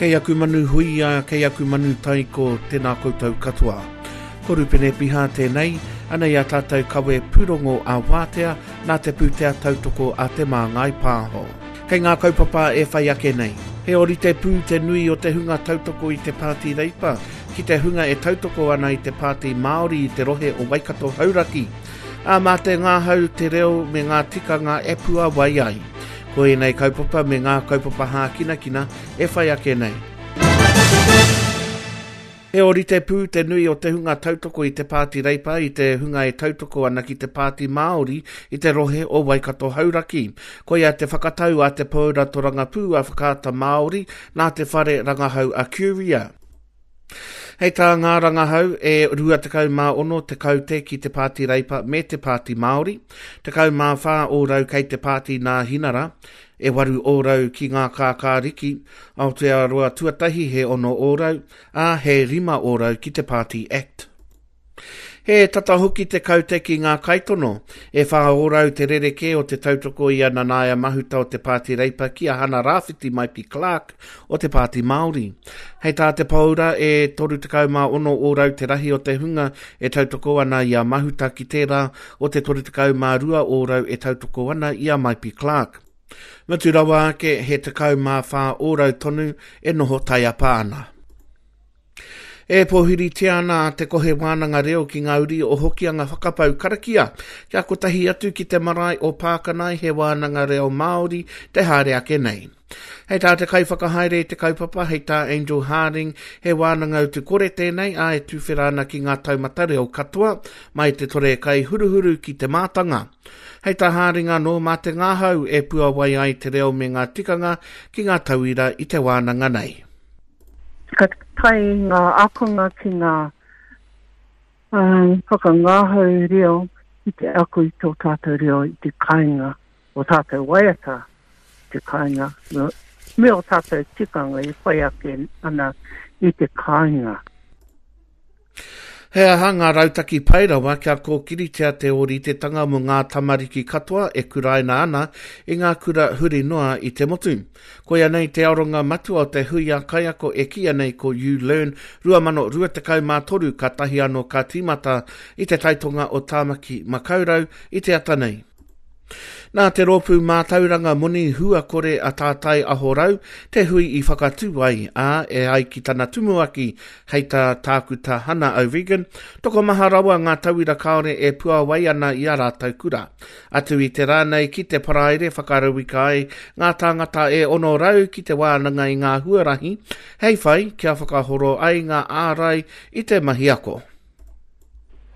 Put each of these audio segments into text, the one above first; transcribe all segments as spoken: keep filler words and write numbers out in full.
Kei aku manu huia, kei aku manu taiko, tēnā koutou katoa. Ko Rupene Piha tēnei, anei a tātou kawe pūrongo a Wātea nā te pūtea tautoko a Te Māngai Pāho. Kei ngā kaupapa e whai ake nei. He ōrite pū te nui o te hunga tautoko i te Pāti Reipa ki te hunga e tautoko ana i te Pāti Māori i te rohe o Waikato Hauraki. Ā, mā te ngahau, te reo me ngā tikanga e puawai ai. Ko ēnei kaupapa me ngā kaupapa hākinakina e whai ake nei. He ōrite pū te nui o te hunga tautoko i te Pāti Reipa i te hunga e tautoko ana ki te Pāti Māori i te rohe o Waikato Hauraki. Koia te whakatau a te Paura Torangapū a Whakaata Māori nā te whare rangahau a Curia. Hei tā ngā rangahau e rua tekau mā ono te kaute ki te Pāti Reipa me te Pāti Māori, tekau mā whā ōrau kei te Pāti Nāhinara, e waru ōrau ki ngā kākāriki, Aotearoa Tuatahi he ono ōrau, ā, he rima ōrau ki te Pāti Act. He tata hoki te kaute ki ngā kaitono. E whā ōrau te rerekē o te tautoko i a Nanaia Mahuta o te Pāti Reipa ki a Hana Rāwhiti Maipi Clark o te Pāti Māori. Hei tā te Paura e toru tekau mā ono ōrau te rahi o te hunga e tautoko ana i a Mahuta ki tērā o te toru tekau mā rua ōrau e tautoko ana i a Maipi Clark. Mutu rawa ake he tekau mā whā ōrau tonu e noho taiapa ana. E pōhiritia ana a Te Kohe Wānanga Reo ki ngā uri o Hokianga Whakapau Karakia kia kotahi atu ki te marae o Pākanae he wānanga reo Māori te haere ake nei. Hei tā te kaiwhakahaere i te kaupapa, hei tā Angel Harding, he wānanga utu kore tēnei, ā, e tuwhera ana ki ngā taumata reo katoa, mai te tore kai huruhuru ki te mātanga. Hei tā Harding anō, mā te ngahau e puawai ai te reo me ngā tikanga ki ngā tauira i te wānanga nei. Ka tae ngā ākonga ki ngā whakangahau reo ki te ako i tō tātou reo i te kāinga, o tātou waiata i te kāinga, me o tātou tikanga e whai ake ana i te kāinga. He aha ngā rautaki pai rawa kia kōkiritia te ōritetanga mō ngā tamariki katoa e kuraina ana i ngā kura huri noa i te motu? Koia nei te aronga matua o te hui a kaiako e kīia nei ko YouLearn rua mano rua tekau mā toru kātahi anō ka tīmata i te taitonga o Tāmaki Makaurau i te ata nei. Nā te rōpū mātauranga moni hua kore a Tātai Aho Rau te hui i whakatū ai, ā, e ai ki tana tumuaki, hei tā Tākuta Hana O'Regan, tokomaha rawa ngā tauira kāore e puawai ana i a rātou kura. Atu i te rā nei ki te paraire whakarauika ai ngā tāngata e ono rau ki te wānanga i ngā huarahi, hei whai kia whakahoro ai ngā ārai i te mahi ako.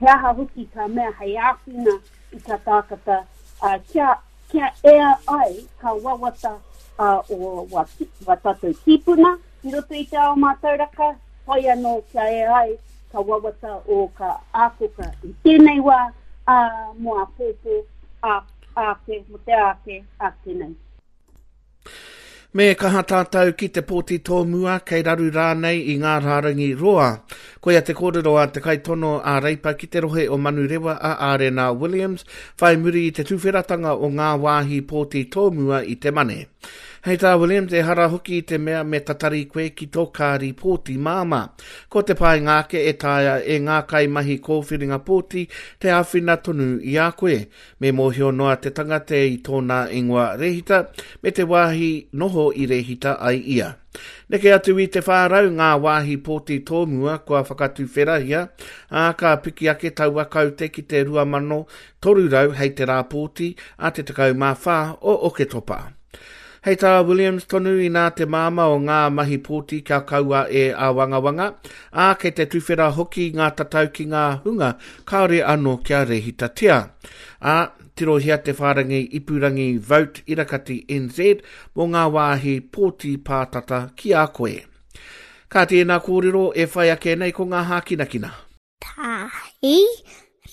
He aha hoki ka mea hei āwhina i ka tākata, uh, kia, kia ea ai ka wawata uh, o wa, wa tātou tīpuna i roto i te ao mātauraka, whai anō kia ea ai ka wawata o ka ākoka i tēnei wā, ā, mō āpōpō, ā, āke, mō te āke, āke nei. Me kaha tātou ki te pōti tōmua, kei raru rānei i ngā rārangi roa. Koia te kōrero a te kaitono a Reipa ki te rohe o Manurewa a Arena Williams, whai muri i te tuwheratanga o ngā wāhi pōti tōmua i te Mane. Hei tā Williams, ehara hoki i te mea me tatari koe ki tō kāri pōti māmā. Ko te painga ake e taea e ngā kaimahi kōwhiringa pōti te āwhina tonu i a koe. Me mōhio noa te tangata i tōna ingoa rēhita me te wāhi noho i rēhita ai ia. Neke atu i te whā rau ngā wāhi pōti tōmua kua whakatuwherahia, ā, ka piki ake taua kaute ki te rua mano toru rau hei te rā pōti a te tekau mā whā o Oketopa. Hei tā Williams tonu inā te māmā o ngā mahi pōti kia kaua e āwangawanga, ā, kei te tuwhera hoki ngā tatau ki ngā hunga kāore anō kia rēhitatia. Ā, tirohia te whārangi ipurangi Vote Irakati N Z mō ngā wāhi pōti pātata ki a koe. Ka tēnā kōrero e whai ake nei ko ngā hākinakina. Tahi,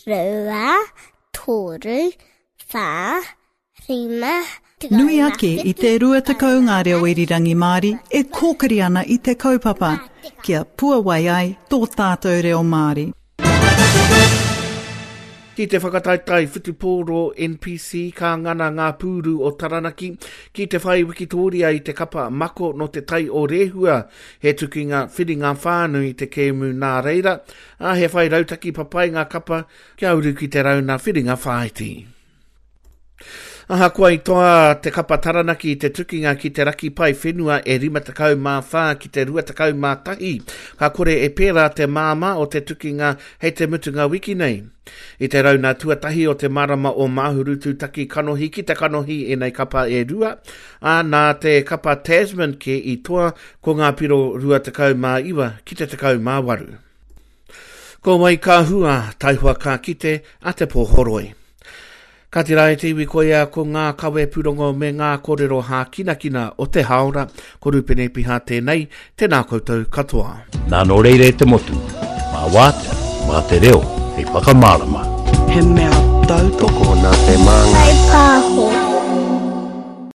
rua, toru, whā, rima, Nui ake i te rua tekau ngā reo irirangi Māori e kōkiri ana i te kaupapa, kia puawai ai tō tātou reo Māori. Ki te whakataetae whutupōro N P C ka ngana ngā pūru o Taranaki ki te whai wikitoria i te kapa mako no te tai o Rehua, he tukinga whiringa whānui te kēmu nā reira, a he whai rautaki papai ngā kapa kia uru ki te rauna whiringa whāiti. Ahakoa i toa te kapa Taranaki i te tukinga ki te raki pai whenua e rima tekau mā whā ki te rua tekau mā tahi, ka kore e pērā te māmā o te tukinga hei te mutunga wiki nei. I te rauna tuatahi o te marama o Mahuru tūtaki kanohi ki te kanohi enei kapa e rua, a nā te kapa Tasman ke i toa ko ngā piro rua tekau mā iwa ki te tekau mā waru. Ko wai ka hua, taihua ka kite a te pōhoroi. Ka tira e te iwi koia ko ngā kawe pūrongo me ngā kōrero hākinakina o te haora, ko Rupene Piha tēnei, tēnā koutou katoa. Nā nō reire te motu, mā wātea, mā te reo, hei whakamārama. He mea tautoko nā te māngai. Whai pāho.